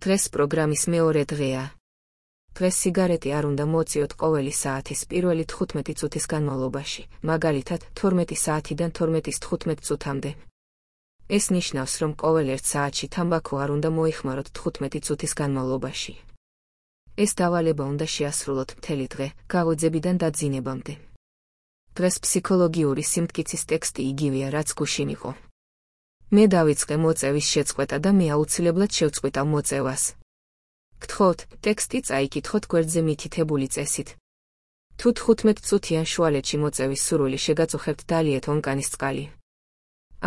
დღეს პროგრამის მეორე დღეა. დღეს სიგარეტი არ უნდა მოწიოთ ყოველი საათის პირველი 15 წუთის განმავლობაში, მაგალითად 12 საათიდან 12:15 წუთამდე. ეს ნიშნავს, რომ ყოველ 1 საათში თამბაქო არ უნდა მოიხმაროთ 15 წუთის განმავლობაში. ეს დავალება უნდა შეასრულოთ მთელი დღე, გაღვიძებიდან დაძინებამდე. დღეს ფსიქოლოგიური სიმტკიცის ტექსტი იგივეა, რაც გუშინ იყო. მე დავიწყე მოწევის შეწყვეტა და მე აუცილებლად შევწყვიტავ მოწევას. გთხოვთ, ტექსტი წაიკითხოთ გვერდზე მითითებული წესით. თუ 15 წუთიან შუალედში მოწევის სურვილი შეგაწუხებთ, დალიეთ ონკანის წყალი.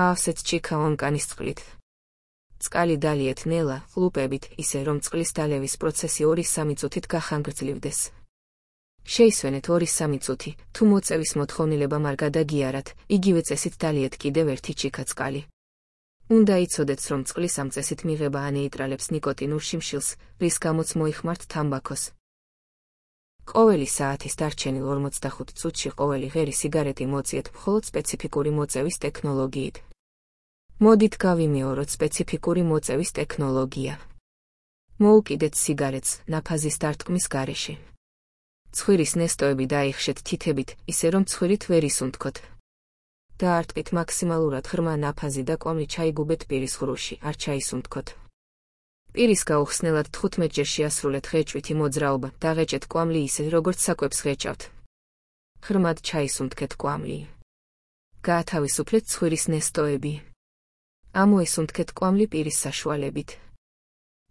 აავსეთ ჩიქა ონკანის წყლით. წყალი დალიეთ ნელა, ყლუპებით, ისე რომ წყლის დალევის პროცესი 2-3 წუთით გახანგრძლივდეს. შეისვენეთ 2-3 წუთი, თუ მოწევის მოთხოვნილება არ გადაგიარათ, იგივე წესით დალიეთ კიდევ 1 ჩიქა წყალი. უნდა იცოდეთ, რომ წყლის ამ წესით მიღება ანეიტრალებს ნიკოტინურ შიმშილს, რის გამოც მოიხმართ თამბაქოს. ყოველი საათის დარჩენილ 45 წუთში ყოველი ღერი სიგარეტი მოწიეთ მხოლოდ სპეციფიკური მოწევის ტექნოლოგიით. მოდით გავიმეოროთ სპეციფიკური მოწევის ტექნოლოგია. მოუკიდეთ სიგარეტს ნაფაზის დარტყმის გარეშე. ცხვირის ნესტოები დაიხშეთ თითებით, ისე რომ ცხვირით ვერ ისუნთქოთ. დაარტყით მაქსიმალურად ღრმა ნაფაზი და კვამლი ჩაიგუბეთ პირის ღრუში, არ ჩაისუნთქოთ. პირის გაუხსნელად 15 ჯერ შეასრულეთ ღეჭვითი მოძრაობა, დაღეჭეთ კვამლი ისე, როგორც საკვებს ღეჭავთ. ღრმად ჩაისუნთქეთ კვამლი. გაათავისუფლეთ ცხვირის ნესტოები. ამოისუნთქეთ კვამლი პირის საშუალებით.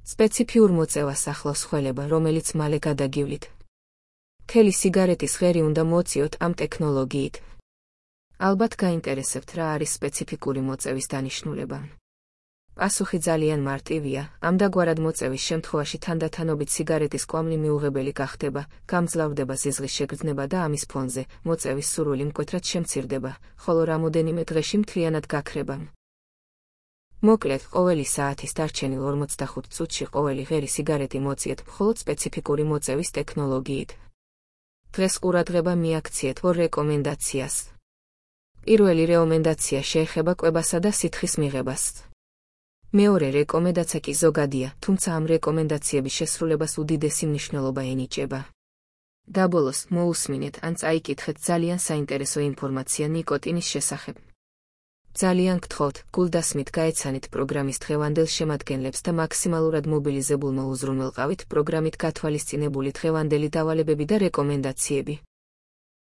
სპეციფიურ მოწევას ახლავს ხველება, რომელიც მალე გადაგივლით. მთელი სიგარეტის ღერი უნდა მოწიოთ ამ ტექნოლოგიით. ალბათ გაინტერესებთ, რა არის სპეციფიკური მოწევის დანიშნულება. პასუხი ძალიან მარტივია, ამდაგვარად მოწევის შემთხვევაში თანდათანობით სიგარეტის კვამლი მიუღებელი გახდება, გამძლავრდება სიზღის შეგრძნება და ამის ფონზე მოწევის სურვილი მკვეთრად შემცირდება, ხოლო რამოდენიმე დღეში მთლიანად გაქრება. მოკლედ, ყოველი საათის დარჩენილ 45 წუთში ყოველი ღერი სიგარეტი მოწიეთ მხოლოდ სპეციფიკური მოწევის ტექნოლოგიით. დღეს ყურადღება მიაქციეთ 2 რეკომენდაციას. პირველი რეკომენდაცია შეეხება კვებასა და სითხის მიღებას. მეორე რეკომენდაცია კი ზოგადია, თუმცა ამ რეკომენდაციების შესრულებას უდიდესი მნიშვნელობა ენიჭება. დაბოლოს, მოусმინეთ ან წაიკითხეთ ძალიან საინტერესო ინფორმაცია ნიკოტინის შესახებ. ძალიან გთხოვთ, გულდასმით გაეცანით პროგრამის დღევანდელ შემადგენლებს და მაქსიმალურად მობილიზებულმა უზრუნველყავით პროგრამით გათვალისწინებული დღევანდელი დავალებები და რეკომენდაციები.